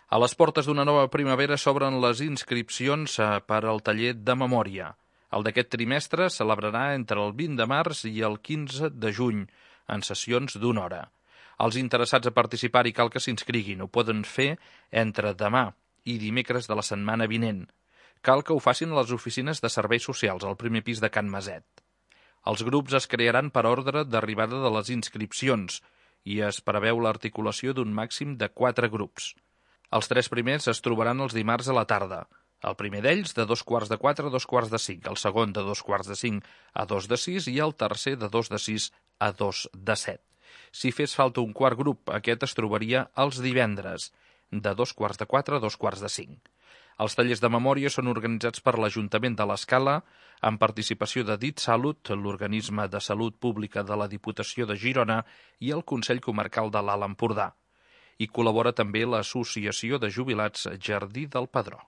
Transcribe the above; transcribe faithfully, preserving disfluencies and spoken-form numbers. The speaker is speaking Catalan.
A les portes d'una nova primavera s'obren les inscripcions per al taller de memòria. El d'aquest trimestre es celebrarà entre el vint de març i el quinze de juny, en sessions d'una hora. Els interessats a participar-hi cal que s'inscriguin. Ho poden fer entre demà i dimecres de la setmana vinent. Cal que ho facin a les oficines de serveis socials, al primer pis de Can Maset. Els grups es crearan per ordre d'arribada de les inscripcions i es preveu l'articulació d'un màxim de quatre grups. Els tres primers es trobaran els dimarts a la tarda. El primer d'ells de dos quarts de quatre a dos quarts de cinc, el segon de dos quarts de cinc a dos de sis i el tercer de dos de sis a dos de set. Si fes falta un quart grup, aquest es trobaria els divendres, de dos quarts de quatre a dos quarts de cinc. Els tallers de memòria són organitzats per l'Ajuntament de l'Escala, amb participació de DITSalut, l'organisme de salut pública de la Diputació de Girona i el Consell Comarcal de l'Alt Empordà. Hi col·labora també l'Associació de Jubilats Jardí del Pedró.